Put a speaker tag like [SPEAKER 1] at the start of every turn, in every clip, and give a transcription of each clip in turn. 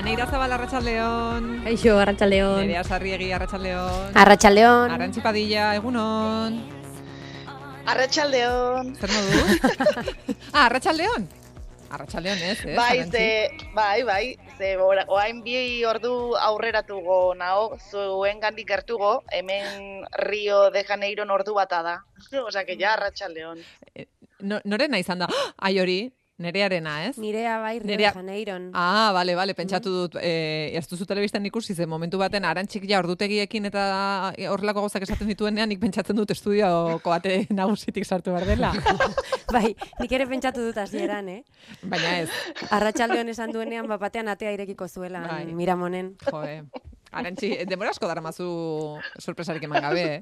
[SPEAKER 1] Neira Zabal, arratsaldeon.
[SPEAKER 2] Kaixo, arratsaldeon.
[SPEAKER 1] Nerea Sarriegi, arratsaldeon.
[SPEAKER 2] Arratsaldeon.
[SPEAKER 1] Arantzi Padilla, egunon.
[SPEAKER 3] Arratsaldeon.
[SPEAKER 1] Zer modu? Arratsaldeon. Arratsaldeon ez,
[SPEAKER 3] Bai, ze orain bi ordu aurreratugo nao, zuengandik gertugo, hemen Rio de Janeiro ordu bata da. Osea, que ja arratsaldeon.
[SPEAKER 1] Norena izan da? Ai hori, Nerearena, ez?
[SPEAKER 2] Nirea bai, Rio de Janeiron.
[SPEAKER 1] Bale, pentsatu dut, ez duzu telebistan ikusi, ze momentu baten Arantxik ja ordutegiekin eta horrelako gauzak esaten dituenean, nik pentsatzen dut estudioko ate nagusitik sartu behar dela.
[SPEAKER 2] Bai, nik ere pentsatu dut hasieran,
[SPEAKER 1] Baina ez.
[SPEAKER 2] Arratsaldeon esan duenean, batean atea irekiko zuela, Miramonen.
[SPEAKER 1] Arantxi, denbora asko daramazu sorpresarik eman gabe,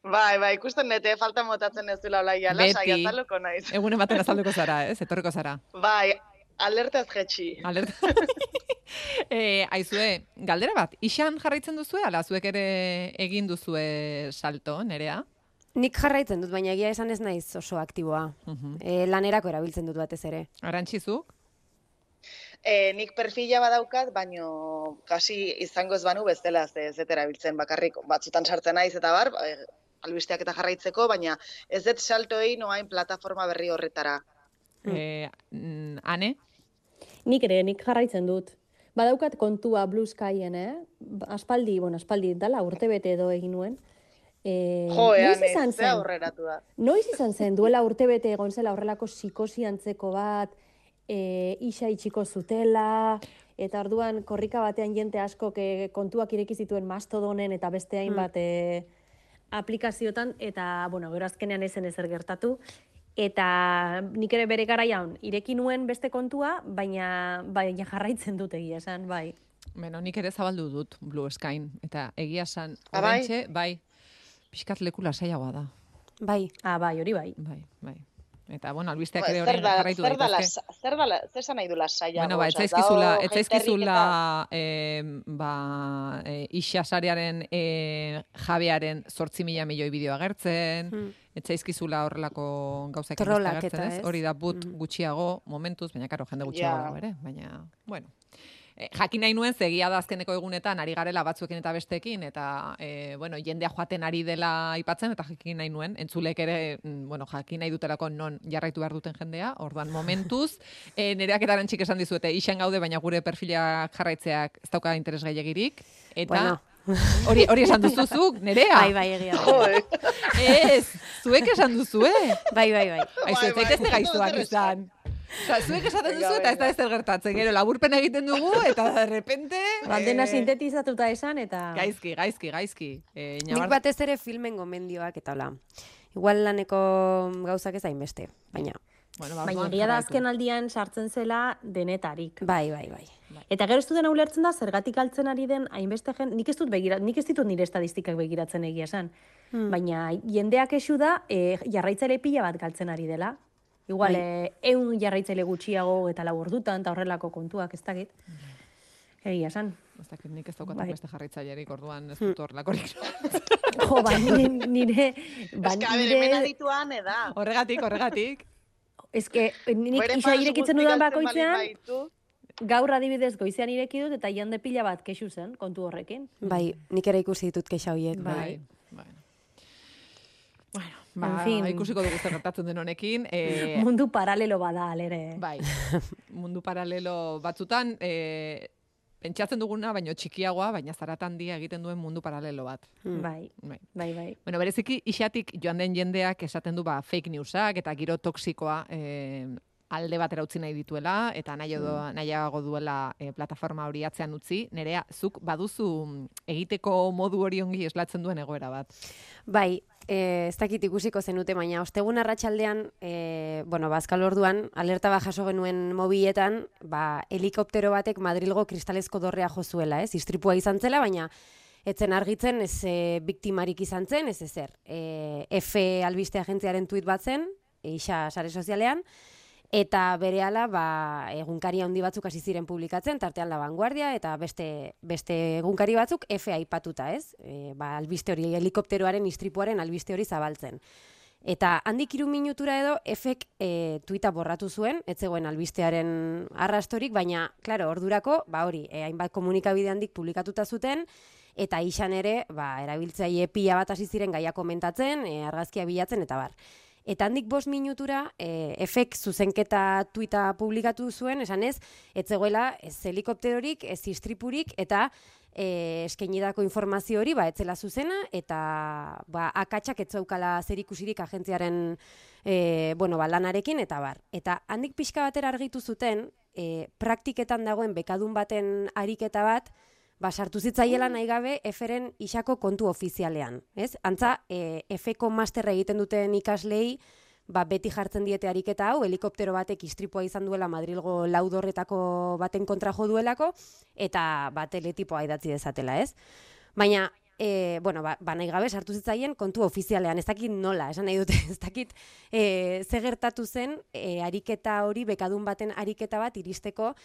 [SPEAKER 3] Bai, ikusten nete, falta motatzen ez dula olaia, lasai azalduko naiz.
[SPEAKER 1] Egunen baten azalduko zara, ez? Etorriko zara.
[SPEAKER 3] Bai, alertaz jetxi.
[SPEAKER 1] Aizue, galdera bat, ixan jarraitzen duzue, ala zuek ere egin duzue salto, Nerea?
[SPEAKER 2] Nik jarraitzen dut, baina egia esan ez naiz oso aktiboa. Lanerako erabiltzen dut batez ere.
[SPEAKER 1] Arantxizuk?
[SPEAKER 3] Nik perfila badaukat, baino kasi izango ez banu bezala ez erabiltzen bakarrik. Batzutan sartzen naiz eta bar, albisteak eta jarraitzeko, baina ez dut saltoei noain plataforma berri horretara.
[SPEAKER 1] Ane?
[SPEAKER 4] Nik jarraitzen dut. Badaukat kontua Blue Skyen, aspaldi dala, urtebete edo egin nuen.
[SPEAKER 3] Ane, ze aurreratu da.
[SPEAKER 4] Noiz izan zen, duela urtebete egon zela horrelako psikosi antzeko bat, isa itxiko zutela, eta orduan korrika batean jente asko kontuak ireki zituen Mastodonen eta beste hainbat aplikaziotan, eta, gero azkenean ezen ezer gertatu, eta nik ere bere garaian ireki nuen beste kontua, baina jarraitzen dut egia esan, bai.
[SPEAKER 1] Beno, nik ere zabaldu dut Blue Skyn, eta egia esan, orentxe, bai, pixkat leku lasaiagoa da.
[SPEAKER 2] Bai.
[SPEAKER 4] Bai, hori bai.
[SPEAKER 1] Bai. Eta, albisteak ere horrein jarraitu daitezke.
[SPEAKER 3] Zer esan nahi du lasaiago?
[SPEAKER 1] Ez zaizkizula Ixa sarearen jabearen 8.000 milioi bideo agertzen, ez zaizkizula horrelako gauzak agertzen, ez? Hori da but gutxiago momentuz, baina karo, jende gutxiago dago ere, baina, bueno. Jakin nahi nuen, zegia da azkeneko egunetan ari garela batzuekin eta bestekin, eta jendea joaten ari dela aipatzen, eta jakin nahi nuen, entzulek ere, jakin nahi dutelako non jarraitu behar duten jendea, orduan momentuz, Nereak eta Arantxik esan dizuete, ixen gaude, baina gure perfilak jarraitzeak ez dauka interes gehiagirik, eta hori esan duzuzuk, Nerea?
[SPEAKER 2] Bai, egia.
[SPEAKER 1] Ez, zuek esan duzue?
[SPEAKER 2] Bai.
[SPEAKER 1] Aizu, ez zaitezte gaiztuak izan. Zuek esaten duzu eta ez da ezer gertatzen. Gero, laburpen egiten dugu eta de repente...
[SPEAKER 4] Dena sintetizatuta esan eta...
[SPEAKER 1] Gaizki.
[SPEAKER 2] Nik batez ere filmen gomendioak eta hola. Igual laneko gauzak ez hainbeste, baina...
[SPEAKER 4] Baina egia da azken aldian sartzen zela denetarik.
[SPEAKER 2] Bai.
[SPEAKER 4] Eta gero ez dudena ulertzen da, zergatik altzen ari den hainbeste nik ez ditut nire estadistikak begiratzen egia esan. Baina jendeak esu da, jarraitzaile pila bat galtzen ari dela. Igual, 100 jarraitzaile gutxiago eta 4 ordutan, eta horrelako kontuak, ez dakit. Egia esan.
[SPEAKER 1] Ez dakit, nik ez daukat beste jarraitzailerik, orduan ez dut horrelakorik.
[SPEAKER 4] Nire...
[SPEAKER 3] hemen adituan, eda.
[SPEAKER 1] Horregatik.
[SPEAKER 4] Ez que, nik isa irekitzen dudan bakoitzean, gaur adibidez goizean ireki dut, eta jende pila bat kexu zen, kontu horrekin.
[SPEAKER 2] Bai, nik ere ikusi ditut kexa horiek.
[SPEAKER 4] Bai.
[SPEAKER 1] Ikusiko dugu zer gertatzen den honekin.
[SPEAKER 4] Mundu paralelo bada, alere.
[SPEAKER 1] Bai, mundu paralelo batzutan, pentsatzen duguna, baino txikiagoa, baina zaratan handia egiten duen mundu paralelo bat.
[SPEAKER 4] Bai.
[SPEAKER 1] Bueno, bereziki, isatik joan den jendeak esaten du fake newsak eta giro toksikoa alde batera utzi nahi dituela, eta nahiago duela plataforma hori atzean utzi. Nerea, zuk baduzu egiteko modu hori ongi eslatzen duen egoera bat?
[SPEAKER 2] Bai, ez dakit ikusiko zenute, baina ostegun arratsaldean, bazkal orduan, alerta bat jaso genuen mobiletan, helikoptero batek Madrilgo kristalezko dorrea jo zuela, ez? Istripua izan zela, baina etzen argitzen, ez biktimarik izan zen, ez ezer. F albiste agentziaren tuit bat zen, Ixa sare sozialean, eta berehala egunkari handi batzuk hasi ziren publikatzen, tartean La Vanguardia eta beste egunkari batzuk F aipatuta, ez? Albiste hori, helikopteroaren istripuaren albiste hori zabaltzen. Eta handik 3 minutura edo efek tuita borratu zuen, ez zegoen albistearen arrastorik, baina, klaro, ordurako, hori, hainbat komunikabide handik publikatuta zuten, eta izan ere, erabiltzaile pila bat hasi ziren gaia komentatzen, argazkia bilatzen, eta bar. Eta handik 5 minutura, efek zuzenketa tuita publikatu zuen, esan ez zegoela ez helikopterorik, ez istripurik, eta eskainitako informazio hori, etzela zuzena, eta akatsak ez zaukala zerikusirik agentziaren lanarekin, eta bar. Eta handik pixka batera argitu zuten, praktiketan dagoen bekadun baten ariketa bat, sartu zitzaiela nahi gabe Eferen isako kontu ofizialean. Antza, Efeko masterra egiten duten ikaslei, beti jartzen diete ariketa hau, helikoptero batek istripua izan duela Madrilgo laudorretako baten kontra jo duelako, eta teletipoa idatzi dezatela, ez? Baina, nahi gabe sartu zitzaien kontu ofizialean, ez dakit nola, esan nahi dute, ez dakit ze gertatu zen ariketa hori, bekadun baten ariketa bat iristeko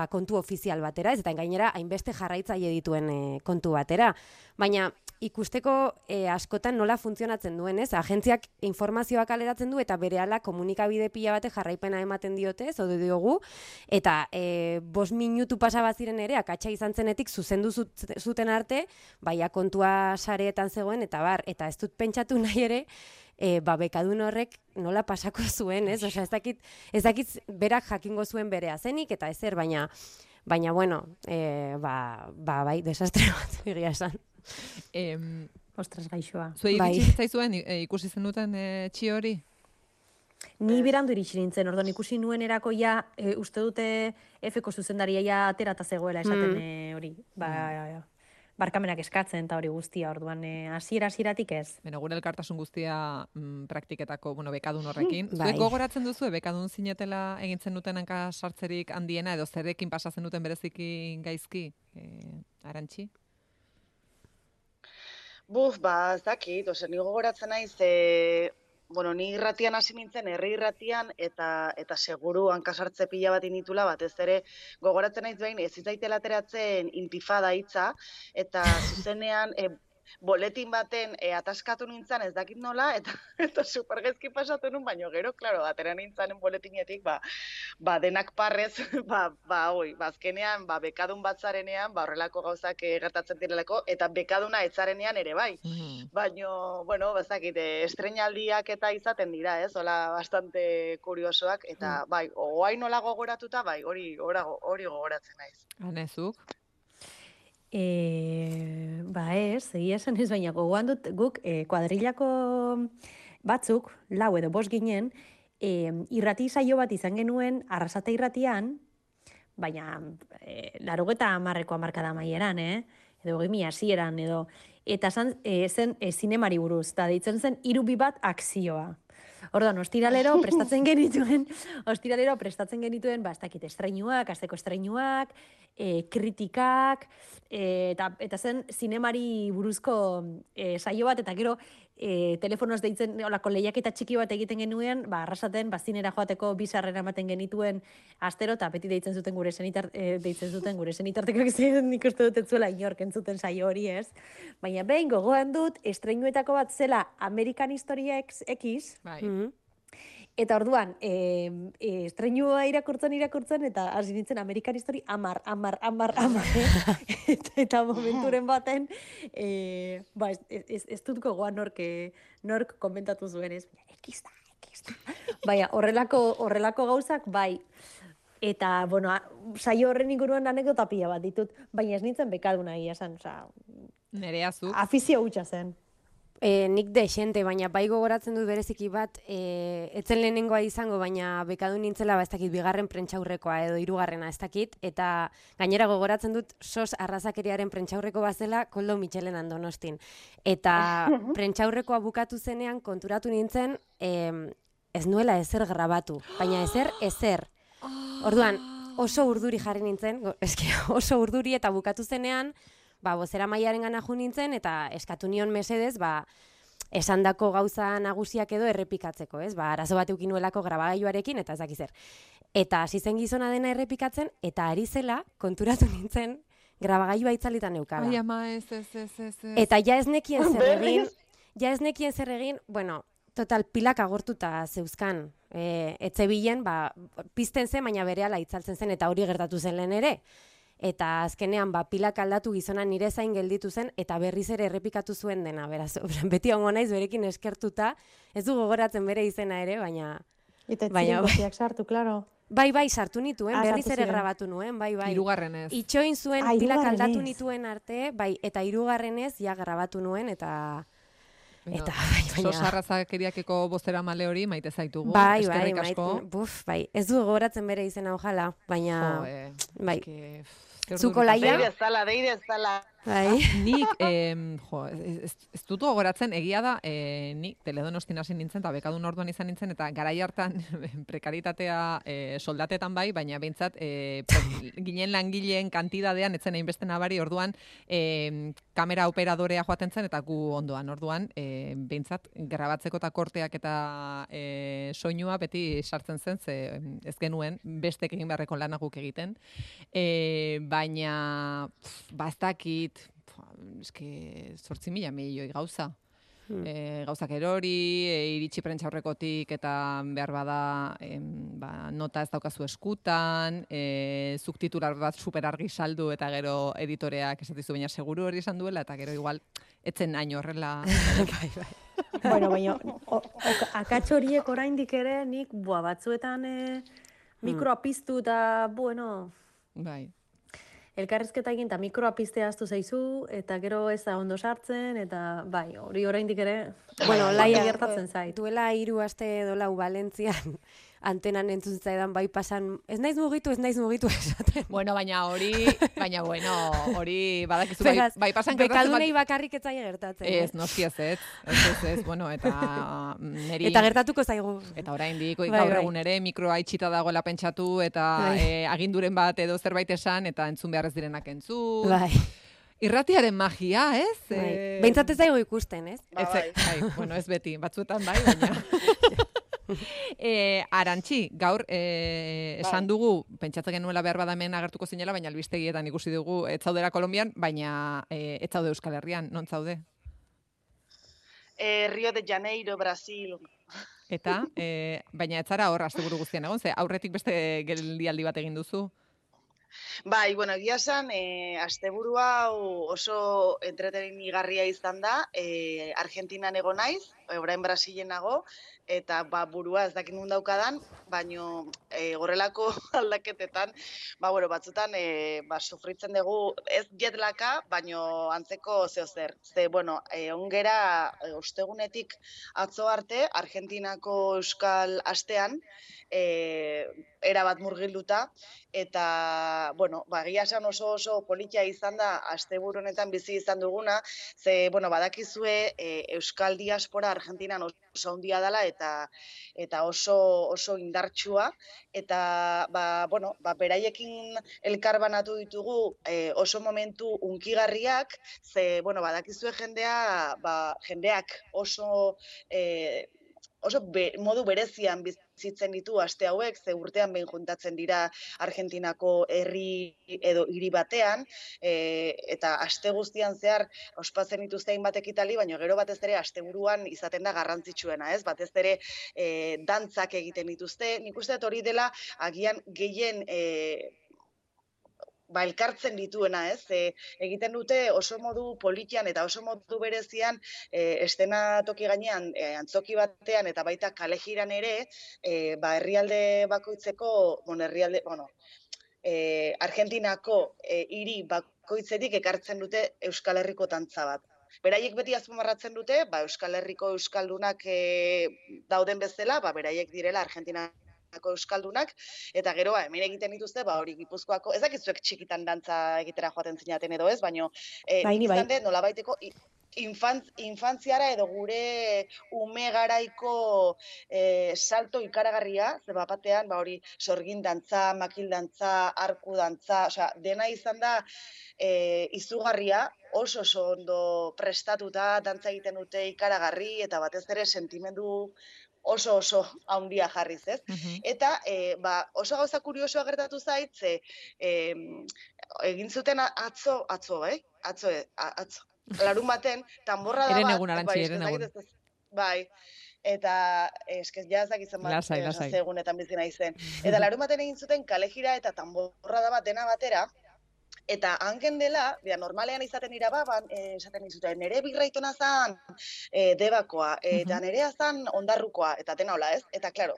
[SPEAKER 2] kontu ofizial batera, ez eta gainera hainbeste jarraitzaile dituen kontu batera. Baina ikusteko askotan nola funtzionatzen duen, ez? Agentziak informazioa kaleratzen du eta berehala komunikabide pila bate jarraipena ematen diote, zaude diogu, eta 5 minutu pasa baziren ere, akatsa izan zenetik zuzendu zuten arte, kontua sareetan zegoen, eta bar, eta ez dut pentsatu nahi ere, bekadun horrek nola pasako zuen, ez? Osea, ez dakit berak jakingo zuen berea zenik, eta ezer, baina bueno, desastre bat egia esan.
[SPEAKER 4] Ostras, gaixoa.
[SPEAKER 1] Zuei iritsi zaizuen ikusi zenuten txio hori?
[SPEAKER 4] Ni berandu iritsi nintzen, orduan ikusi nuen erakoia, uste dute Efeko zuzendaria ja aterata zegoela esaten hori. Barkamenak eskatzen eta hori guztia, orduan hasieratik ez.
[SPEAKER 1] Gure elkartasun guztia praktiketako, bekadun horrekin. Zuek gogoratzen duzu, bekadun zinetela egintzen duten hanka sartzerik handiena, edo zerekin pasatzen duten bereziki gaizki, Arantxi?
[SPEAKER 3] Ez dakit, ni gogoratzen naiz, ni irratian hasi nintzen, herri irratian, eta seguru hankasartze pila bat initula, batez ere gogoratzen naiz behin, ez zitzaitela ateratzen intifada hitza, eta zuzenean boletin baten ataskatu nintzen, ez dakit nola, eta supergezki pasatu nun, baina gero, klaro, atera nintzanen boletinetik, denak parrez, azkenean, bekadun batzarenean, horrelako gauzak gertatzen direlako, eta bekaduna etzarenean ere bai. Baina, ez estreinaldiak eta izaten dira, ez, hola bastante kuriosoak, eta oain nola gogoratuta, hori gogoratzen naiz.
[SPEAKER 1] Hanezuk?
[SPEAKER 4] Egia esan ez, baina gogoan dut guk kuadrilako batzuk, 4 edo 5 ginen, irrati saio bat izan genuen Arrasate irratian, baina 80ko hamarkada amaieran, edo 2000 hasieran, edo eta zen zinemari buruz, eta deitzen zen 3 bat akzioa. Orduan, ostiralero prestatzen genituen, ez dakit estreinuak, asteko estreinuak, kritikak, eta zen zinemari buruzko saio bat, eta gero telefonoz deitzen, olako lehiaketa txiki bat egiten genuen, Arrasaten, zinera joateko bizarrera ematen genituen astero, eta beti deitzen zuten gure zenitartekoak zen, nik uste dut etzuela inork entzuten saio hori, ez? Baina behin gogoan dut, estreinuetako bat zela American History X, eta orduan, estreinua irakurtzen, eta hasi nintzen American History 10, eta momenturen baten, ez dut gogoan nork komentatu zuen, ez? X da. Baina, horrelako gauzak, eta, saio horren inguruan anekdota pila bat ditut, baina ez nintzen bekaduna egia esan,
[SPEAKER 1] Nerea zu.
[SPEAKER 4] Afizio hutsa zen.
[SPEAKER 2] Nik dexente, baina gogoratzen dut bereziki bat, etzen lehenengoa izango, baina bekadun nintzela, ez dakit, 2. prentxaurrekoa edo 3. ez dakit, eta gainera gogoratzen dut SOS arrazakeriaren prentxaurreko bazela Koldo Mitxelenan Donostin. Eta prentxaurrekoa bukatu zenean konturatu nintzen, ez nuela ezer grabatu, baina ezer. Orduan, oso urduri jarri nintzen, oso urduri eta bukatu zenean, bozera maiaren gana jo nintzen, eta eskatu nion mesedez, esandako gauza nagusiak edo errepikatzeko, ez? Arazo bat eukin nuelako grabagailuarekin, eta ez dakizer. Eta hasi zen gizona dena errepikatzen, eta ari zela konturatu nintzen grabagailua itzalitan neukala.
[SPEAKER 1] Ai, ama, ez.
[SPEAKER 2] Eta ja ez nekien zer egin, Total, pilak agortuta zeuzkan. Etzebilen, pizten zen, baina berehala itzaltzen zen, eta hori gertatu zen lehen ere. Eta azkenean, pilak aldatu gizona nire zain gelditu zen, eta berriz ere errepikatu zuen dena, beraz. Beti ongo naiz, berekin eskertuta, ez du gogoratzen bere izena ere, baina...
[SPEAKER 4] Eta etziren kopiak sartu, klaro.
[SPEAKER 2] Bai, sartu nituen, berriz ere grabatu nuen, bai.
[SPEAKER 1] Hirugarrenez.
[SPEAKER 2] Itxoin zuen, pilak aldatu nituen arte, bai, eta hirugarrenez, ja grabatu nuen, eta... Eta, baina...
[SPEAKER 1] Sosarrazakeriakeko bozera male hori, maite zaitugu,
[SPEAKER 2] bai,
[SPEAKER 1] eskerrik asko.
[SPEAKER 2] Bai, ez du gogoratzen bere izena ojala, baina... Bai.
[SPEAKER 3] Zuko laia? Deire ez dala.
[SPEAKER 2] Bai.
[SPEAKER 1] Nik, ez dut gogoratzen, egia da, nik Teledonostin hasi nintzen, eta bekadun orduan izan nintzen, eta garai hartan prekaritatea soldatetan bai, baina behintzat ginen langileen kantidadean, etzen hainbeste nabari, orduan kamera operadorea joaten zen, eta gu ondoan, orduan, behintzat grabatzeko eta korteak eta soinua beti sartzen zen, ze ez genuen bestek egin beharreko lanaguk egiten, baina ez dakit, eske 8.000 milioi gauza. Gauzak erori, iritsi prentxaurrekotik eta behar bada nota ez daukazu eskutan, zuk titular bat super argi saldu eta gero editoreak esatizu baina seguru hori esan duela eta gero igual etzen hain horrela.
[SPEAKER 4] Bueno, baina akats horiek oraindik ere nik batzuetan mikroa piztu eta bueno...
[SPEAKER 1] Bai.
[SPEAKER 4] Elkarrizketa egin eta mikroa piztea ahaztu zaizu, eta gero ez da ondo sartzen, eta bai, hori oraindik ere, bueno, laia gertatzen zait.
[SPEAKER 2] Duela 3 aste edo 4 Valentzian antenan entzun zaidan bai pasan, ez naiz mugitu esaten.
[SPEAKER 1] Bueno, baina hori badakizu bai pasan gertatzen.
[SPEAKER 2] Bekadunei bakarrik ez zaie gertatzen.
[SPEAKER 1] Ez, noski ez, bueno, eta neri...
[SPEAKER 2] Eta gertatuko zaigu.
[SPEAKER 1] Eta oraindik gaur egun ere mikroa itxita dagoela pentsatu, eta aginduren bat edo zerbait esan, eta entzun behar ez direnak entzun.
[SPEAKER 2] Bai.
[SPEAKER 1] Irratiaren magia, ez?
[SPEAKER 2] Behintzat ez daigo ikusten, ez?
[SPEAKER 1] Bueno, ez beti, batzuetan bai, baina... Arantxi, gaur esan dugu, pentsatzen genuela behar badamen agertuko zinela, baina albistegietan ikusi dugu ez zaudera Kolombian, baina ez zaude Euskal Herrian, non zaude?
[SPEAKER 3] Rio de Janeiro, Brasil.
[SPEAKER 1] Eta, baina ez zara hor asteburu guztian egon, ze aurretik beste geldialdi bat egin duzu?
[SPEAKER 3] Bai, bueno, egia esan, asteburua oso entretenigarria izan da, Argentinan ego naiz, orain Brasilen nago, eta burua ez dakit nun daukadan, baino horrelako aldaketetan, batzutan sufritzen dugu ez jetlaka, baino antzeko zeozer. Bueno, ongera ostegunetik atzo arte, Argentinako Euskal Astean, erabat murgilduta, eta, bueno, egia esan oso politia izan da asteburu honetan bizi izan duguna, ze, bueno, badakizue Euskal Diaspora Argentinan oso handia dela eta oso indartsua, eta, beraiekin elkarbanatu ditugu oso momentu unkigarriak, ze, bueno, badakizue jendeak oso modu berezian bizitzen ditu aste hauek, ze urtean behin juntatzen dira Argentinako herri edo hiri batean, eta aste guztian zehar ospatzen dituzte hainbat ekitali, baina gero batez ere asteburuan izaten da garrantzitsuena, ez? Batez ere dantzak egiten dituzte. Nik uste dut hori dela agian gehien elkartzen dituena, ez? Egiten dute oso modu politian eta oso modu berezian estenatoki gainean antzoki batean eta baita kalejiran ere, herrialde bakoitzeko, Argentinako hiri bakoitzetik ekartzen dute Euskal Herriko dantza bat. Beraiek beti azpimarratzen dute, Euskal Herriko euskaldunak dauden bezala, beraiek direla Argentina euskaldunak, eta gero hemen egiten dituzte, hori Gipuzkoako, ez dakizuek txikitan dantza egitera joaten zinaten edo ez, baino izan dut nolabaiteko infantziara edo gure ume garaiko salto ikaragarria, ze batean hori sorgin dantza, makil dantza, arku dantza, dena izan da izugarria, oso ondo prestatuta dantza egiten dute ikaragarri, eta batez ere sentimendu oso handia jarriz, ez? Eta oso gauza kuriosoa gertatu zait, egin zuten atzo, larun baten, tanborrada bat...
[SPEAKER 1] Eren egun, Arantxi, eren egun.
[SPEAKER 3] Bai, eta eskez jazak izan bat egunetan bizi naizen. Eta larumaten egin zuten kalejira eta tamborra da bat dena batera, eta hanken dela, normalean izaten irababan, esaten izuten, nere birraitona zan debakoa, eta nerea zan ondarrukoa, eta dena hola, ez? Eta, klaro,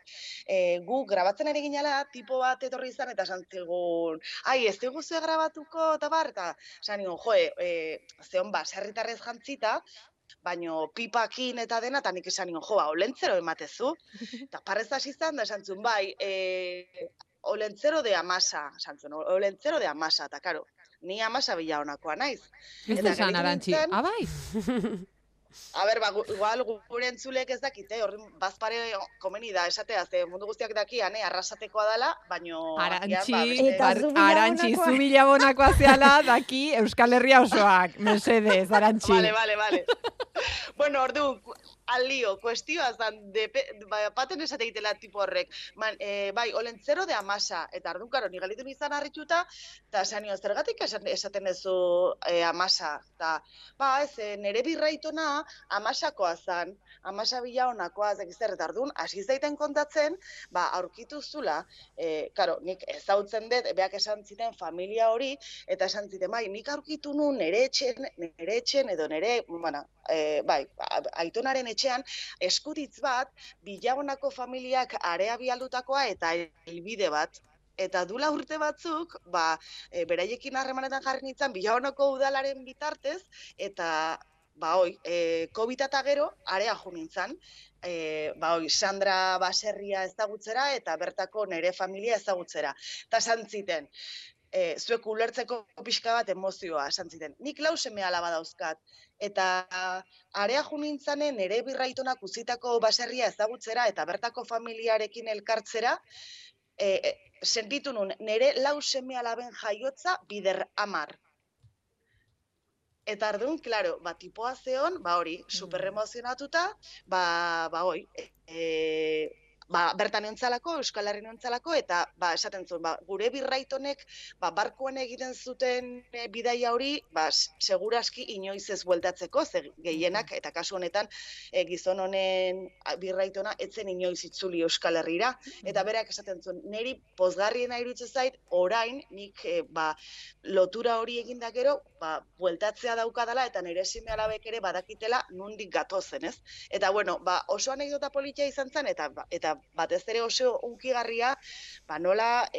[SPEAKER 3] gu grabatzen ere ginala, tipo bat etorri izan, eta santzigun, ai, ez dugu zue grabatuko, eta bar, eta zan nion, zeon ba, serritarrez jantzita, baino pipakin eta dena, eta nik esan nion, olentzero ematezu. Eta parrez hasi zan, da esan zuen, bai, olentzero de amasa, esan zuen, olentzero de amasa, eta karo, ni amasa bila honakoa naiz.
[SPEAKER 1] Ez esan, Arantxi, abai?
[SPEAKER 3] A ber, igual gure entzulek ez dakite, horren bazpare komeni da, esatea, ze mundu guztiak daki, arrasatekoa dela, baino...
[SPEAKER 1] Arantxi, zu bilabonakoa zeala, daki Euskal Herria osoak, mesedez, Arantxi.
[SPEAKER 3] Vale. Bueno, ordu, alio, kuestioa zan, paten esate egitela tipo horrek, bai, olentzero de amasa, eta ordu, karo, nigalitu nizan harritxuta, eta esan nio, zergatik esaten ezu amasa, eta, ba, ez, nere birraitona amasakoa zan, amasa bila honakoa, zekizer, eta orduan, hasi zaiten kontatzen, ba, aurkitu zula, karo, nik ezautzen dut, beak esan ziten familia hori, eta esan ziten, bai, nik aurkitu nun nere etxen, edo nere, bueno, bai, aitonaren etxean, eskutitz bat, Bilabonako familiak area bialdutakoa eta helbide bat. Eta dula urte batzuk, beraiekin harremanetan jarri nintzen, Bilabonako udalaren bitartez, eta, COVID eta gero, area jo nintzen, Sandra Baserria ezagutzera eta bertako nere familia ezagutzera. Eta santziten, zuek ulertzeko pixka bat emozioa, santziten. Nik 4 seme alaba dauzkat, eta area jo nintzanen nere birraitonak uzitako baserria ezagutzera eta bertako familiarekin elkartzera, sentitu nun, nere 4 seme alaben jaiotza bider 10. Eta ardun, klaro, tipoa zeon, hori, superemozionatuta, bertan entzalako, Euskal Herri entzalako, eta esaten zuen, gure birraitonek barkuan egiten zuten bidaia hori, seguraski inoiz ez bueltatzeko, ze gehienak, eta kasu honetan, gizon honen birraitona etzen inoiz itzuli Euskal Herrira, eta berak esaten zuen, niri pozgarriena iruditzen zait, orain, nik lotura hori eginda gero, bueltatzea daukadala, eta nire seme alabek ere badakitela nondik gatozen, ez? Eta, bueno, oso anekdota politia izan zen, eta batez ere oso unkigarria, nola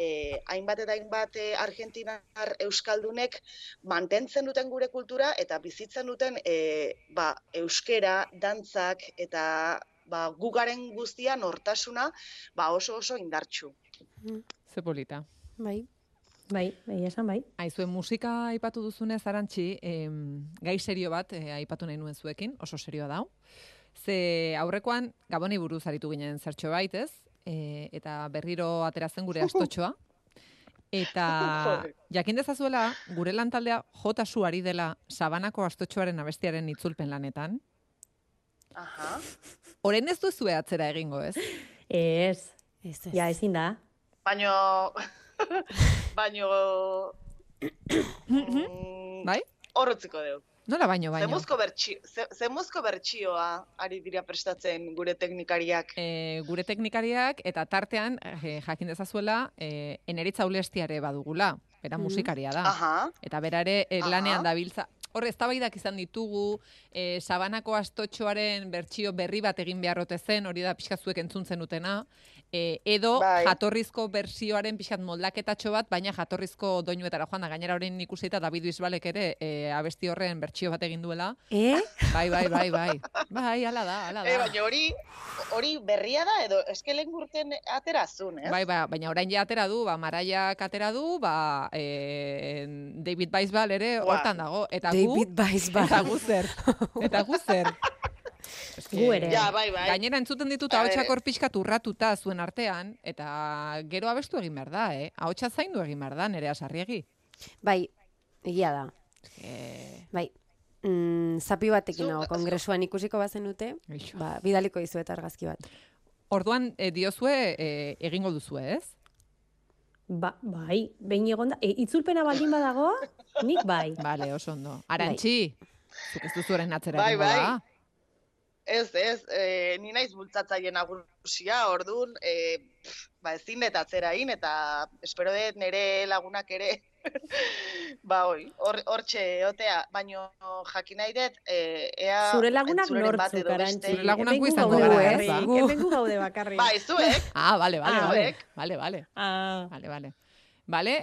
[SPEAKER 3] hainbat eta hainbat argentinar euskaldunek mantentzen duten gure kultura eta bizitzen duten euskera, dantzak eta gugaren guztia nortasuna oso indartsu.
[SPEAKER 1] Ze polita.
[SPEAKER 4] Bai, esan bai.
[SPEAKER 1] Aizuen musika aipatu duzunez, Arantxi, gai serio bat aipatu nahi nuen zuekin, oso serioa dau. Ze aurrekoan Gaboni buruz aritu ginen zertxo baitez, eta berriro ateratzen gure astotxoa. Eta jakin dezazuela, gure lantaldea jota zu ari dela Sabanako astotxoaren abestiaren itzulpen lanetan.
[SPEAKER 3] Aha.
[SPEAKER 1] Orain ez duzue atzera egingo, ez?
[SPEAKER 4] Ez. Ja, ezin da.
[SPEAKER 3] Baino...
[SPEAKER 1] Bai?
[SPEAKER 3] Horrotziko dugu.
[SPEAKER 1] Nola baino?
[SPEAKER 3] Zemuzko bertsioa ari dira prestatzen gure teknikariak?
[SPEAKER 1] Gure teknikariak eta tartean jakin dezazuela Eneritza Ulestiare badugula, bera musikaria da. Eta bera ere lanean dabiltza. Hor, eztabaidak izan ditugu, Sabanako astotxoaren bertsio berri bat egin beharrote zen, hori da pixka zuek entzun zenutena, edo jatorrizko bertsioaren pixkat moldaketatxo bat, baina jatorrizko doinuetara joan da, gainera horrein ikusi eta David Bisbalek ere abesti horren bertsio bat egin duela. Bai. Bai, ala da.
[SPEAKER 3] Baina hori berria da, edo eskelen gurten aterazun, ez?
[SPEAKER 1] Bai, baina orain ja atera du, Maraiak atera du, David Bisbal ere hortan dago.
[SPEAKER 2] David Bisbal.
[SPEAKER 1] Eta gu zer.
[SPEAKER 4] Gu ere.
[SPEAKER 3] Ja, bai.
[SPEAKER 1] Gainera entzuten ditut ahotsak hor pixkat urratuta zuen artean, eta gero abestu egin behar da, ahotsa zaindu egin behar da, Nerea Sarriegi.
[SPEAKER 2] Bai, egia da. Bai. Zapi batekin kongresuan ikusiko bazen dute, bidaliko dizuet argazki bat.
[SPEAKER 1] Orduan, diozue egingo duzue, ez?
[SPEAKER 4] Bai, behin egon da. Itzulpena baldin badago, nik bai.
[SPEAKER 1] Bale, oso ondo. Arantxi, zuk ez duzuaren atzera egingo da?
[SPEAKER 3] ni naiz bultzatzaile nagusia, orduan, ezin dut atzerain, eta espero dut nire lagunak ere, hortxe eotea, baino jakin nahi dut, ea
[SPEAKER 4] zure lagunak
[SPEAKER 3] entzuleren bat
[SPEAKER 4] nortzuk,
[SPEAKER 3] edo
[SPEAKER 4] Arantzi.
[SPEAKER 3] beste.
[SPEAKER 1] Zure lagunak gu izango gara, ez da?
[SPEAKER 4] Hemen gu gaude bakarrik.
[SPEAKER 3] Bai, zuek.
[SPEAKER 1] Vale.
[SPEAKER 4] Ah.
[SPEAKER 1] Vale,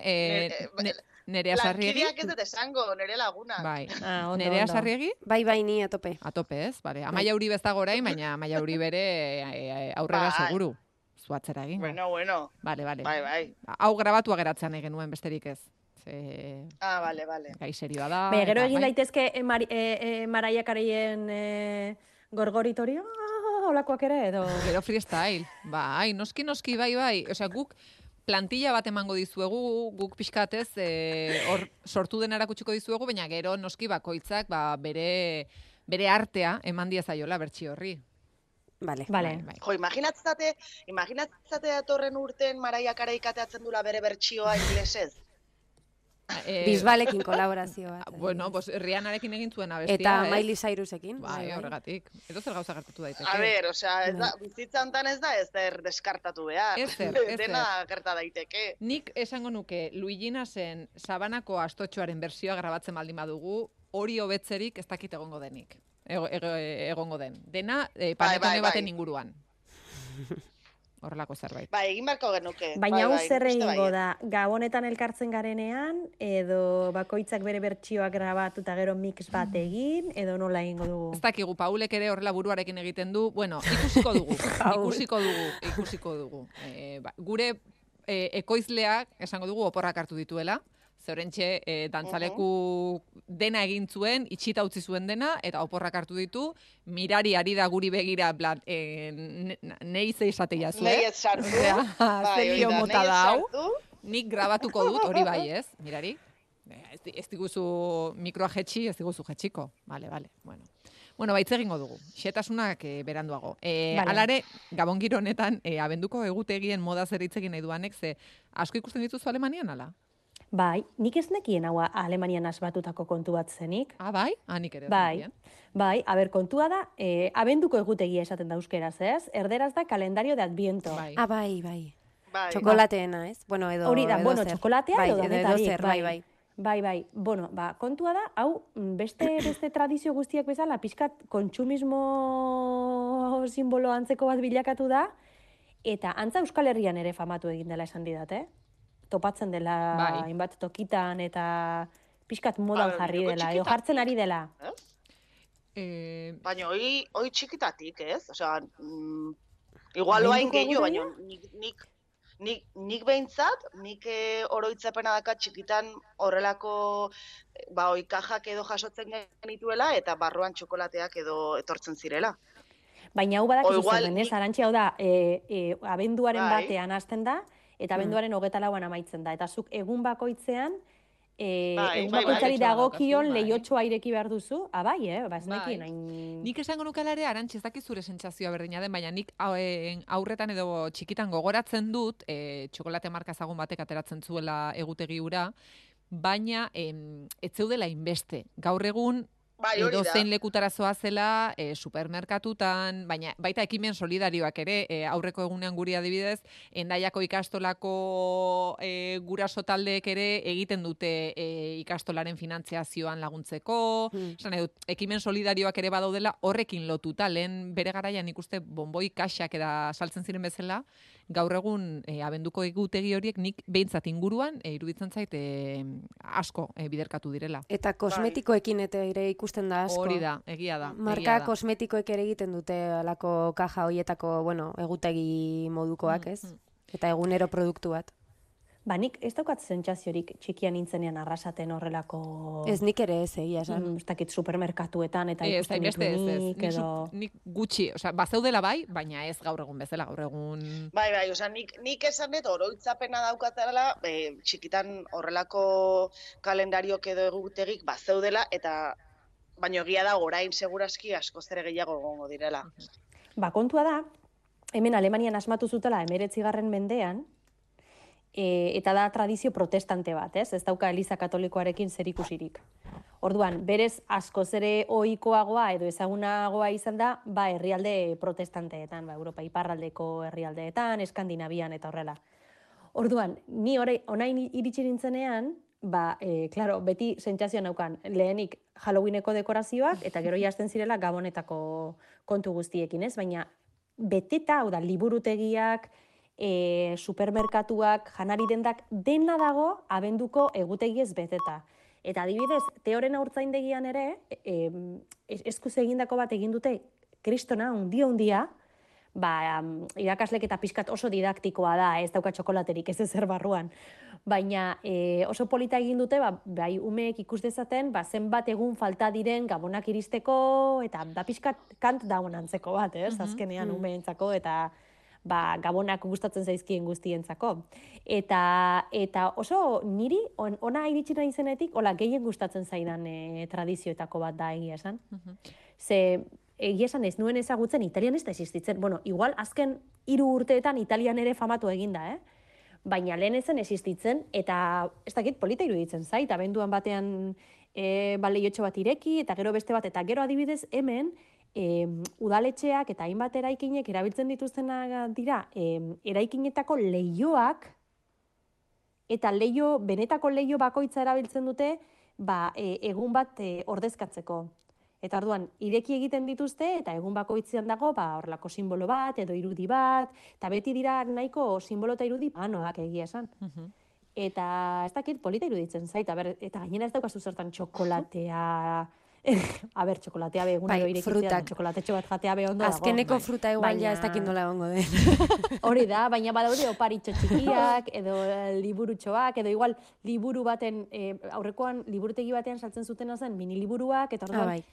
[SPEAKER 1] Nerea Sarriegi.
[SPEAKER 3] Lankideak ez dut esango, nire lagunak.
[SPEAKER 1] Bai.
[SPEAKER 4] Ondo,
[SPEAKER 1] Nerea
[SPEAKER 4] ondo.
[SPEAKER 1] Sarriegi?
[SPEAKER 2] Bai, ni atope.
[SPEAKER 1] Atope, ez? Vale. Amaia Uribe ez dago orain, baina Amaia Uribe ere aurrera seguru. Zuatzera egin.
[SPEAKER 3] Bueno.
[SPEAKER 1] Vale.
[SPEAKER 3] Bai.
[SPEAKER 1] Hau grabatua geratzen egin nuen besterik ez.
[SPEAKER 3] Vale.
[SPEAKER 1] Gai serioa da.
[SPEAKER 4] Baina, gero egin daitezke Mariah Careyen gorgoritori, holakoak ere, edo...
[SPEAKER 1] Gero freestyle. Bai, noski, bai. Osea, guk plantilla bat emango dizuegu, guk pixkatez, hor sortu dena erakutsiko dizuegu, baina gero noski bakoitzak bere artea eman diezaiola bertsio horri.
[SPEAKER 2] Vale.
[SPEAKER 1] Bai.
[SPEAKER 3] Jo, imaginatzate datorren urten Mariah Carey kateatzen dula bere bertsioa inglesez.
[SPEAKER 2] Bisbalekin kolaborazio bat.
[SPEAKER 1] Bueno, pues Rihannarekin egin zuen abestia,
[SPEAKER 2] eta Miley Cyrusekin.
[SPEAKER 1] Bai, horregatik. Edo zer gauza gertatu daiteke.
[SPEAKER 3] A ber, bizitza hontan ez da ezer deskartatu behar.
[SPEAKER 1] Ezer.
[SPEAKER 3] Dena gerta daiteke.
[SPEAKER 1] Nik esango nuke Luiginasen Sabanako Astotxoaren bersioa grabatzen baldin badugu, hori hobetzerik ez dakit egongo denik. Egongo den. Dena panetone baten inguruan. Horrelako zerbait.
[SPEAKER 3] Bai, egin barko genuke.
[SPEAKER 4] Baina hau zer egingo da, gabonetan elkartzen garenean, edo bakoitzak bere bertsioak grabatu eta gero mix bat egin, edo nola egingo dugu?
[SPEAKER 1] Ez dakigu, Paulek ere horrela buruarekin egiten du, bueno, ikusiko dugu. Gure ekoizleak, esango dugu, oporrak hartu dituela, zeurentxe dantzaleku dena egin zuen, itxita utzi zuen dena, eta oporrak hartu ditu, mirari ari da guri begira, nahi ze esatea zuen.
[SPEAKER 3] Nahi ez sartu.
[SPEAKER 1] Zelio mota da hau. Nik grabatuko dut, hori bai ez, mirari. Ez diguzu mikroa jetxi, ez diguzu jetxiko. Vale. Bueno, baitz egingo dugu. Xetasunak beranduago. Alare, Gabon giro honetan, abenduko egutegien moda zer hitz egin nahi duanek, ze asko ikusten dituzu Alemanian, ala?
[SPEAKER 4] Bai, nik ez nekien hau Alemanian asbatutako kontu bat zenik.
[SPEAKER 1] Bai? Nik ere ez nekien.
[SPEAKER 4] Bai, kontua da, abenduko egutegia esaten da euskeraz, ez? Erderaz da kalendario de Adviento.
[SPEAKER 2] Bai. Txokolateena, ez? Bueno, edo
[SPEAKER 4] hori da, txokolatea edo danetarik.
[SPEAKER 2] Bai.
[SPEAKER 4] Bueno, kontua da, hau, beste tradizio guztiak bezala, pixkat kontsumismo simbolo antzeko bat bilakatu da, eta antza Euskal Herrian ere famatu egin dela esan didat, topatzen dela hainbat tokitan eta pixkat modan jarri dela, edo jartzen ari dela.
[SPEAKER 3] Baina hoi txikitatik, ez? Osea, igual oain gehiago, baina nik behintzat, nik oroitzapena daka txikitan horrelako oi kajak edo jasotzen genituela eta barruan txokolateak edo etortzen zirela.
[SPEAKER 4] Baina hau badakizu zer denez, Arantzi, hau da, abenduaren batean hasten da, eta abenduaren 24an amaitzen da. Eta zuk egun bakoitzean, egun bakoitzari dagokion lehiotxoa ireki behar duzu. Bai, ez nekien hain...
[SPEAKER 1] Nik esango nukelare, Arantzi, ez dakit zure sentsazioa berdina den, baina nik aurretan edo txikitan gogoratzen dut, txokolate marka ezagun batek ateratzen zuela egutegi hura, baina ez zeudela inbeste. Gaur egun, edo zein lekutara zoazela, supermerkatutan, baina baita ekimen solidarioak ere, aurreko egunean guri adibidez, Hendaiako ikastolako guraso taldeek ere egiten dute ikastolaren finantziazioan laguntzeko, ekimen solidarioak ere badaudela horrekin lotuta, lehen bere garaian ikuste bonboi kaxak eta saltzen ziren bezala, gaur egun abenduko egutegi horiek nik behintzat inguruan iruditzen zait asko biderkatu direla.
[SPEAKER 2] Eta kosmetikoekin ere ikusten da asko.
[SPEAKER 1] Hori da, egia da.
[SPEAKER 2] Marka kosmetikoek ere egiten dute alako kaja hoietako, egutegi modukoak, ez? Eta egunero produktu bat.
[SPEAKER 4] Nik ez daukat sentsaziorik txikian nintzenean arrasaten horrelako...
[SPEAKER 2] Ez nik ere ez, egia esan.
[SPEAKER 4] Ez dakit supermerkatuetan eta ikusten ditunik edo...
[SPEAKER 1] Nik gutxi, bazeudela bai, baina ez gaur egun bezala, gaur egun...
[SPEAKER 3] Bai, nik esan dut oroitzapena daukatela, txikitan horrelako kalendariok edo egutegik bazeudela, eta baino egia da orain segurazki askoz ere gehiago egongo direla.
[SPEAKER 4] Kontua da, hemen Alemanian asmatu zutela 19. mendean, eta da tradizio protestante bat, ez dauka Eliza Katolikoarekin zerikusirik. Orduan, berez askoz ere ohikoagoa edo ezagunagoa izan da, herrialde protestanteetan, Europa iparraldeko herrialdeetan, Eskandinavian eta horrela. Orduan, ni orain iritsi nintzenean, claro, beti sentsazioa naukan, lehenik Halloweeneko dekorazioak, eta gero hasten zirela Gabonetako kontu guztiekin, ez? Baina, beteta, hau da, liburutegiak, supermerkatuak, janari dendak, dena dago abenduko egutegiez beteta. Eta adibidez, Teoren Haurtzaindegian ere, eskuz egindako bat egin dute, kristona, hundia, irakaslek eta pixkat oso didaktikoa da, ez dauka txokolaterik, ez ezer barruan. Baina oso polita egin dute, bai umeek ikus dezaten, zenbat egun falta diren Gabonak iristeko, eta da pixkat kant daun antzeko bat, ez? Azkenean umeentzako, eta Gabonak gustatzen zaizkien guztientzako. Eta oso niri, ona iritsi nahi zenetik, gehien gustatzen zaidan tradizioetako bat da egia esan. Ze, egia esan ez nuen ezagutzen, Italian ez da existitzen. Bueno, igual azken 3 urteetan Italian ere famatu eginda, baina lehen ezen existitzen, eta ez dakit polita iruditzen zait, abenduan batean leiotxo bat ireki, eta gero beste bat, eta gero adibidez hemen, udaletxeak eta hainbat eraikinek erabiltzen dituztenak dira, eraikinetako leihoak, eta benetako leiho bakoitza erabiltzen dute, egun bat ordezkatzeko. Eta orduan, ireki egiten dituzte, eta egun bakoitzean dago, horrelako simbolo bat, edo irudi bat, eta beti dira nahiko simbolo eta irudi panoak egia esan. Eta ez dakit polita iruditzen zait, eta gainera ez daukazu zertan txokolatea, txokolatea be egunero irekitzea, txokolatetxo bat jatea be ondo dago.
[SPEAKER 2] Azkeneko fruta igual ja ez dakit nola egongo den.
[SPEAKER 4] Hori da, baina badaude oparitxo txikiak, edo liburutxoak, edo igual liburu baten, aurrekoan liburutegi batean saltzen zutena zen mini liburuak, eta orduan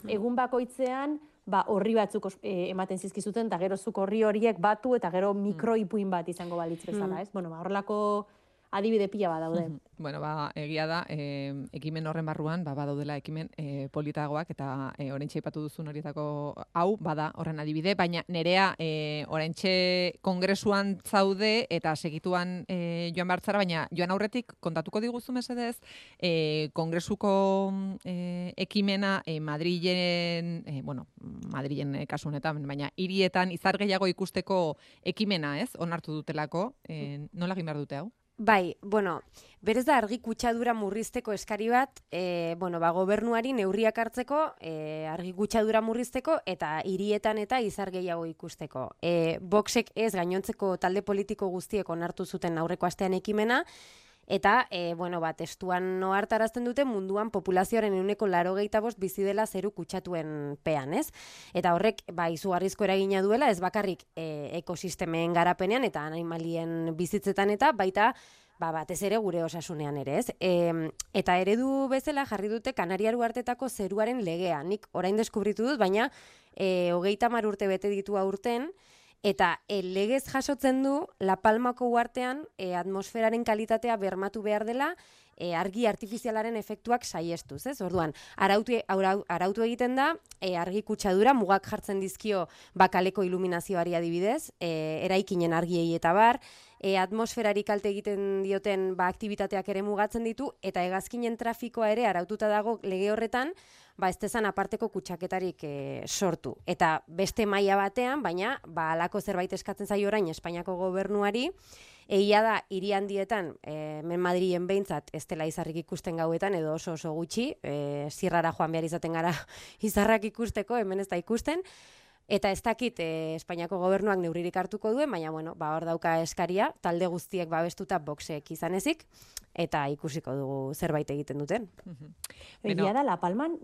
[SPEAKER 4] egun bakoitzean horri batzuk ematen zizkizuten, eta gero zuk horri horiek batu, eta gero mikroipuin bat izango balitz bezala, ez? Bueno, horrelako adibide pila badaude.
[SPEAKER 1] Bueno, egia da, ekimen horren barruan, badaudela ekimen politagoak, eta oraintxe aipatu duzun horietako hau, bada horren adibide, baina nerea oraintxe kongresuan zaude, eta segituan joan bartzara, baina joan aurretik kontatuko diguzu mesedez, kongresuko ekimena Madrilen kasu honetan, baina hirietan izar gehiago ikusteko ekimena, ez? Onartu dutelako, nola egin behar dute hau?
[SPEAKER 2] Bai, berez da argi kutsadura murrizteko eskari bat, gobernuari neurriak hartzeko, argi kutsadura murrizteko, eta hirietan eta izar gehiago ikusteko. Voxek ez gainontzeko talde politiko guztiek onartu zuten aurreko astean ekimena, eta, testuan noartarazten dute munduan populazioaren 85% bizi dela zeru kutsatuen pean, ez? Eta horrek, izugarrizko eragina duela, ez bakarrik ekosistemen garapenean eta animalien bizitzetan eta baita, batez ere gure osasunean ere, ez? Eta eredu bezala jarri dute Kanariar uhartetako zeruaren legea. Nik orain deskubritu dut, baina 30 urte bete ditu aurten, eta legez jasotzen du La Palmako uhartean atmosferaren kalitatea bermatu behar dela argi artifizialaren efektuak saiestuz, ez? Orduan, arautu egiten da, argi kutsadura mugak jartzen dizkio bakaleko iluminazioari adibidez, eraikinen argiei eta bar, atmosferari kalte egiten dioten aktibitateak ere mugatzen ditu, eta hegazkinen trafikoa ere araututa dago lege horretan, ez dezan aparteko kutsaketarik sortu. Eta beste maila batean, baina halako zerbait eskatzen zaio orain Espainiako gobernuari, egia da, hiri handietan, Madrilen behintzat, ez dela izarrik ikusten gauetan, edo oso gutxi, zirrara joan behar izaten gara izarrak ikusteko, hemen ez da ikusten, eta ez dakit Espainiako gobernuak neurririk hartuko duen, baina, hor dauka eskaria, talde guztiek babestuta Voxek izan ezik, eta ikusiko dugu zerbait egiten duten.
[SPEAKER 4] Egia da, La Palman,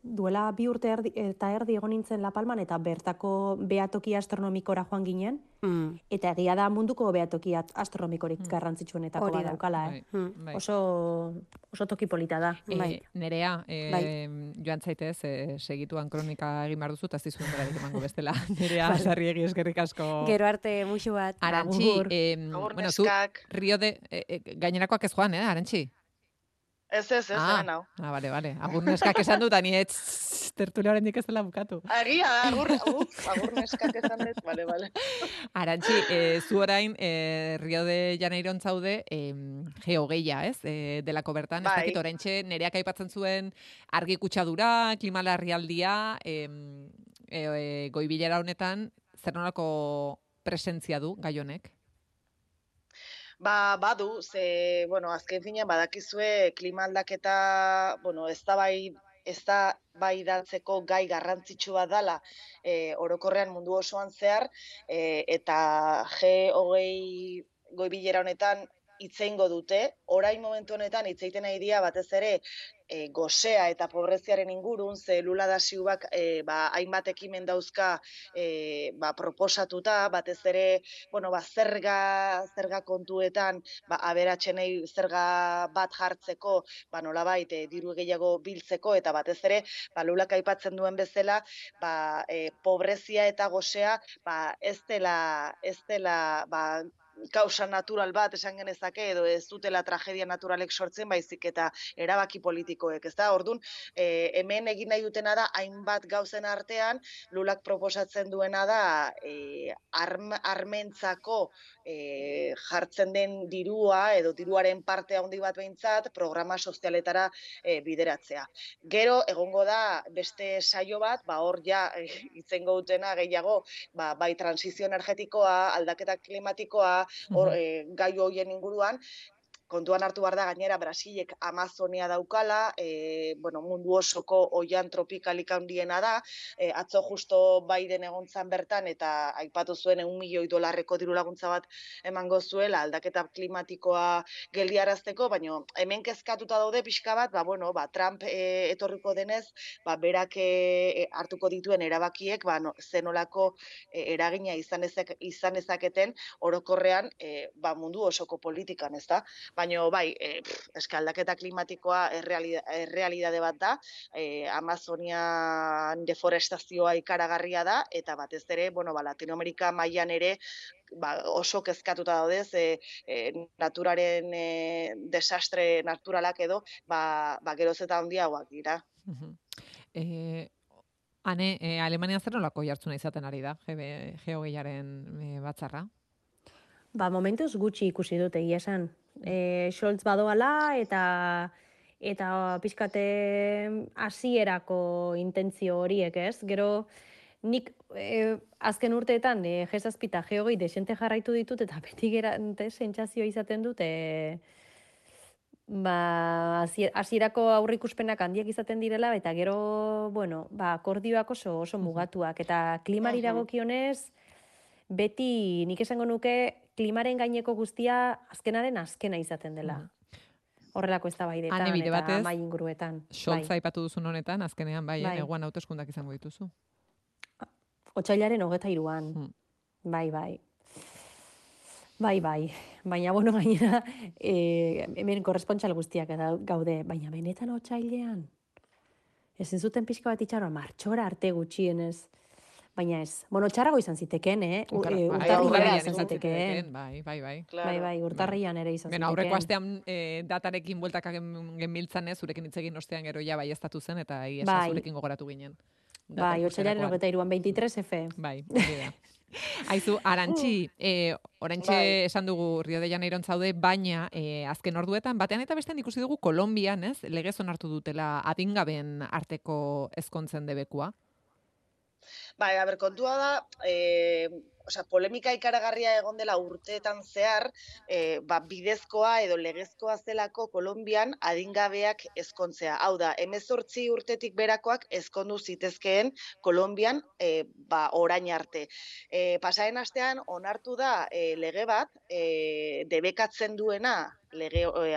[SPEAKER 4] duela 2 urte eta erdi egon nintzen La Palman, eta bertako behatoki astronomikora joan ginen, eta egia da munduko behatoki astronomikorik garrantzitsuenetako bat daukala. Oso toki polita da.
[SPEAKER 1] Nerea, joan zaitez, segituan kronika egin behar duzu, eta ez dizuen berarik emango bestela. Nerea, Sarriegi eskerrik asko.
[SPEAKER 2] Gero arte musu bat.
[SPEAKER 1] Arantxi, zu Rio de... Gainerakoak ez joan, Arantxi?
[SPEAKER 3] hemen hau.
[SPEAKER 1] Bale. Agur neskak esan dut, ani tertulia horrendik ez dela bukatu.
[SPEAKER 3] Agia, agur neskak esan dut, bale.
[SPEAKER 1] Arantxi, zu orain Rio de Janeiron zaude geogeia, ez? Delako bertan, ez dakit oraintxe nereak aipatzen zuen argi kutsadura, klima larrialdia, goibilera honetan, zer nolako presentzia du gai honek?
[SPEAKER 3] Badu, azken finean badakizue klima aldaketa, eztabaidatzeko gai garrantzitsu bat dela orokorrean mundu osoan zehar, eta G20 goibilera honetan hitz eingo dute. Orain momentu honetan hitz egiten ari dira batez ere gosea eta pobreziaren ingurun, ze Lula da Silvak hainbat ekimen dauzka proposatuta, batez ere, zerga kontuetan, aberatsenei zerga bat jartzeko, nolabait diru gehiago biltzeko, eta batez ere, Lulak aipatzen duen bezala, pobrezia eta gosea ez dela kausa natural bat esan genezake, edo ez dutela tragedia naturalek sortzen, baizik eta erabaki politikoek, ez da? Orduan, hemen egin nahi dutena da, hainbat gauzen artean, Lulak proposatzen duena da, armentzako jartzen den dirua, edo diruaren parte handi bat behintzat, programa sozialetara bideratzea. Gero, egongo da, beste saio bat, hor ja, itzengo dutena gehiago, bai transizio energetikoa, aldaketa klimatikoa, gai hoien inguruan, kontuan hartu behar da gainera Brasilek Amazonia daukala, mundu osoko oian tropikalik handiena da, atzo justo Biden egontzan bertan eta aipatu zuen $1 milioi diru laguntza bat emango zuela aldaketa klimatikoa geldiarazteko, baina hemen kezkatuta daude pixka bat, Trump etorriko denez, berak hartuko dituen erabakiek, zenolako eragina izan ezaketen orokorrean mundu osoko politikan, ez da? Baina, aldaketa klimatikoa errealidade bat da, Amazonian deforestazioa ikaragarria da, eta batez ere, Latinoamerika mailan ere oso kezkatuta daudez, naturaren desastre naturalak edo, geroz eta handiagoak dira.
[SPEAKER 1] Hane, Alemania zer nolako jartzuna izaten ari da, geogeiaren batzarra?
[SPEAKER 4] Momentuz gutxi ikusi dut egia esan. Scholz badoala eta pixkate hasierako intentzio horiek, ez? Gero nik azken urteetan G7 eta G20 desente jarraitu ditut eta beti gerante sentsazio izaten dut hasierako aurreikuspenak handiak izaten direla eta gero, akordioak oso mugatuak eta klimari dagokionez beti nik esango nuke klimaren gaineko guztia azkena izaten dela. Horrelako eztabaidetan eta mai inguruetan.
[SPEAKER 1] Scholz aipatu duzun honetan, azkenean neguan hauteskundak izango dituzu.
[SPEAKER 4] Otsailaren 23an. Bai. Baina, gainera, hemen korrespontsal guztiak gaude, baina benetan otsailean. Ezin zuten pixka bat itxaroa, martxora arte gutxienez. Baina ez. Txarrago izan ziteken, urtarrian izan ziteken. Bai, urtarrian ere izan ziteken.
[SPEAKER 1] Aurreko astean datarekin bueltak genbiltzan ez, zurekin hitz egin ostean gero ja bai estatu zen, eta zurekin gogoratu ginen.
[SPEAKER 4] Bai, otsailaren 23an, 23F.
[SPEAKER 1] Bai, Aizu, Arantxi, oraintxe esan dugu Rio de Janeiron zaude, baina azken orduetan, batean eta bestean ikusi dugu Kolonbian, ez? Legez onartu dutela adingaben arteko ezkontzen debekua.
[SPEAKER 3] Kontua da, polemika ikaragarria egon dela urteetan zehar, bidezkoa edo legezkoa zelako Kolonbian adingabeak ezkontzea. Hau da, 18 urtetik berakoak ezkondu zitezkeen Kolonbian orain arte. Pasaren astean onartu da lege bat debekatzen duena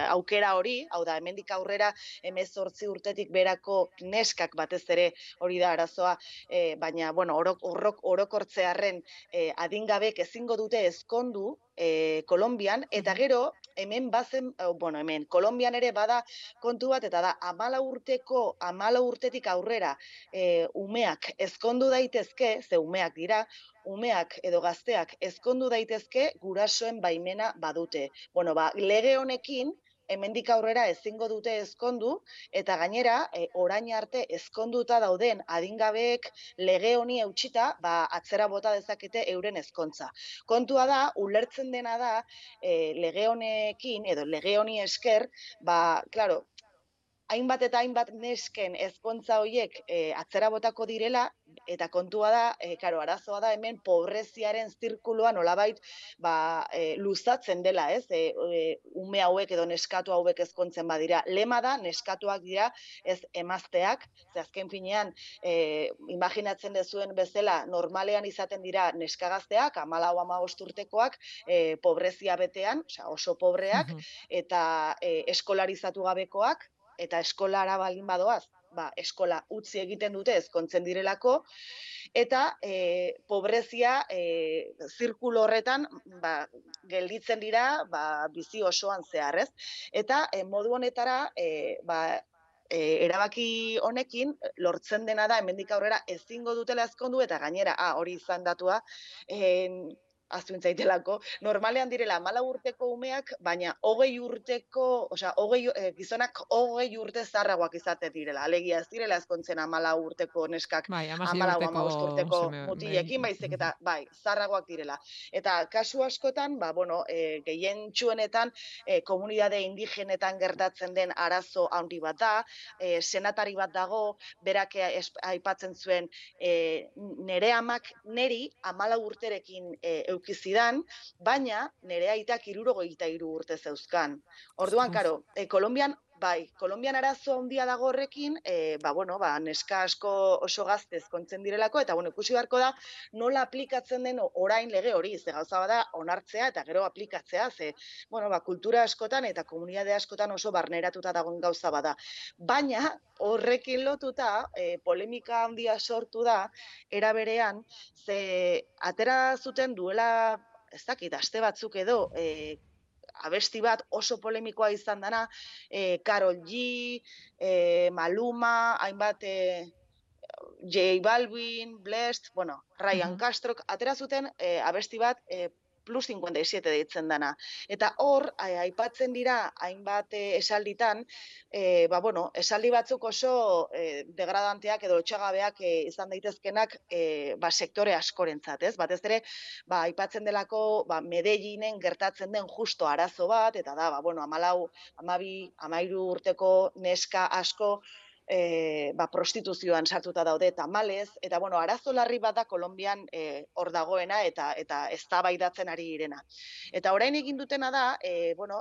[SPEAKER 3] aukera hori, hau da, hemendik aurrera 18 urtetik berako neskak batez ere hori da arazoa, baina, orokortzearren adingabek ezingo dute ezkondu Kolonbian, eta gero, hemen Kolonbian ere bada kontu bat, eta da, 14 urtetik aurrera umeak ezkondu daitezke, ze umeak dira, umeak edo gazteak ezkondu daitezke gurasoen baimena badute. Lege honekin, hemendik aurrera ezingo dute ezkondu, eta gainera, orain arte ezkonduta dauden adingabeek lege honi eutxita, atzera bota dezakete euren ezkontza. Kontua da, ulertzen dena da, lege honekin, edo lege honi esker, klaro, hainbat eta hainbat nesken ezkontza horiek atzera botako direla, eta kontua da, arazoa da hemen pobreziaren zirkuloa nolabait luzatzen dela, ez? Ume hauek edo neskatu hauek ezkontzen badira. Lema da, neskatuak dira, ez emazteak, ze azken finean, imaginatzen dezuen bezala, normalean izaten dira neskagazteak, 14-15 urtekoak, pobrezia betean, oso pobreak, eta eskolarizatu gabekoak, eta eskolara baldin badoaz, eskola utzi egiten dute ezkontzen direlako, eta pobrezia zirkulo horretan gelditzen dira bizi osoan zehar, ez? Eta modu honetara, erabaki honekin lortzen dena da hemendik aurrera ezingo dutela ezkondu, eta gainera, hori izan datua, aztuintzaitelako, normalean direla 14 urteko umeak, baina 20 urteko, gizonak 20 urte zaharragoak izate direla. Alegia ez direla ezkontzen 14 urteko neskak, 14-15 urteko mutilekin, baizik eta, zaharragoak direla. Eta kasu askotan, gehien txuenetan, komunidade indigenetan gertatzen den arazo handi bat da, senatari bat dago, berak aipatzen zuen, nere amak neri 14 urterekin eukizidan, baina nire aitak 63 urte zeuzkan. Orduan, Kolombian arazo handia dago horrekin, neska asko oso gazte ezkontzen direlako, eta ikusi beharko da nola aplikatzen den orain lege hori, ze gauza bada onartzea eta gero aplikatzea, ze kultura askotan eta komunitate askotan oso barneratuta dagoen gauza bada. Baina horrekin lotuta, polemika handia sortu da, era berean, ze atera zuten duela, ez dakit, aste batzuk edo, abesti bat oso polemikoa izan dana, Karol G, Maluma, hainbat J Balvin, Blest, Ryan Castrok, atera zuten abesti bat Plus 57 deitzen dana. Eta hor, aipatzen dira, hainbat esalditan, esaldi batzuk oso degradanteak edo lotxagabeak izan daitezkenak sektore askorentzat, ez? Batez ere, aipatzen delako Medellinen gertatzen den justo arazo bat, eta da, 14, 13 urteko neska asko prostituzioan sartuta daude tamalez, eta arazo larri bat da Kolonbian hor dagoena eta eztabaidatzen ari direna. Eta orain egin dutena da,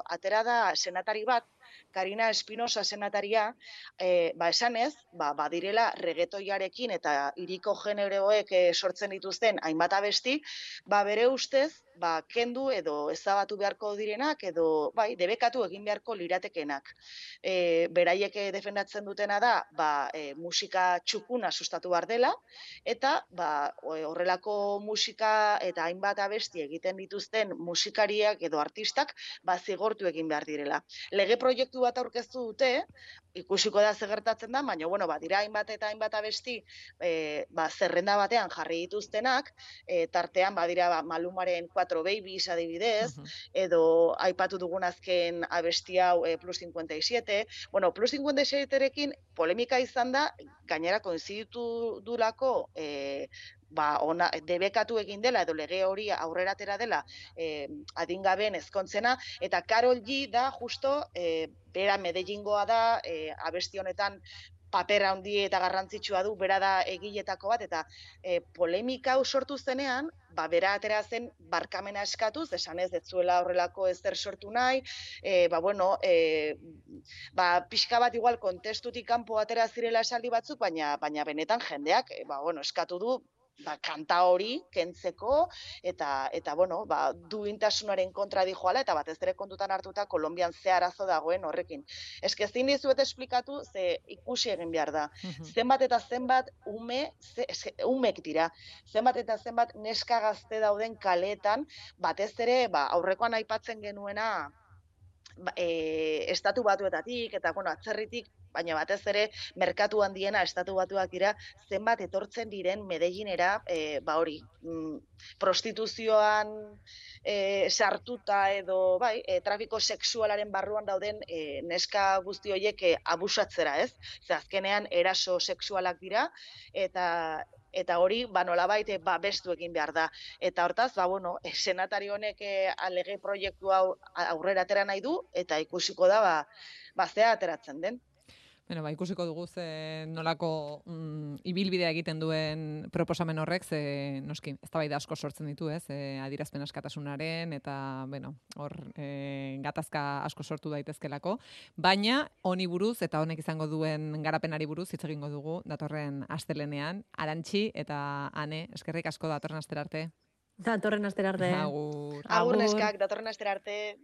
[SPEAKER 3] atera da senatari bat, Karina Espinosa senataria, esanez, badirela reggaetoiarekin eta hiriko generoek sortzen dituzten hainbat abesti, bere ustez, kendu edo ezabatu beharko direnak, edo debekatu egin beharko liratekenak. Beraiek defendatzen dutena da, musika txukuna sustatu behar dela, eta horrelako musika eta hainbat abesti egiten dituzten musikariak edo artistak zigortu egin behar direla. Lege proiektu bat aurkeztu dute, ikusiko da ze gertatzen da, baina, dira hainbat eta hainbat abesti zerrenda batean jarri dituztenak, tartean badira Malumaren 4 Babies adibidez, edo aipatu dugun azken abesti hau Plus 57. Plus 57-rekin polemika izan da, gainera koinziditu durako debekatu egin dela, edo lege hori aurrera atera dela adingabeen ezkontzena, eta Karol G da justo, bera Medellingoa da, abesti honetan papera handi eta garrantzitsua du, bera da egiletako bat, eta polemika hau sortu zenean, bera atera zen barkamena eskatuz, esanez ez zuela horrelako ezer sortu nahi, pixka bat igual kontestutik kanpo atera zirela esaldi batzuk, baina benetan jendeak eskatu du kanta hori kentzeko, eta duintasunaren kontra dijoala, eta batez ere kontutan hartuta Kolonbian ze arazo dagoen horrekin. Eske ezin dizuet esplikatu, ze ikusi egin behar da. Zenbat eta zenbat umek dira, zenbat eta zenbat neska gazte dauden kaleetan, batez ere aurrekoan aipatzen genuena, estatu batuetatik, eta, bueno, atzerritik, baina batez ere, merkatu handiena estatu batuak dira, zenbat etortzen diren Medellinera, hori, prostituzioan sartuta edo, bai, trafiko sexualaren barruan dauden neska guzti horiek abusatzera, ez? Ze azkenean eraso sexualak dira, eta hori, nolabait, bestu egin behar da. Eta hortaz, bueno, senatari honek lege proiektu hau aurrera atera nahi du, eta ikusiko da, zea ateratzen den.
[SPEAKER 1] Bueno, ikusiko dugu nolako ibilbidea egiten duen proposamen horrek, noski, eztabaida asko sortzen ditu, adierazpen askatasunaren, eta, bueno, hor gatazka asko sortu daitezkelako, baina honi buruz, eta honek izango duen garapenari buruz, hitz egingo dugu, datorren astelenean, Arantxi eta Ane, eskerrik asko datorren astera arte.
[SPEAKER 4] Datorren astera arte.
[SPEAKER 1] Agur.
[SPEAKER 3] Agur neskak, datorren astera arte.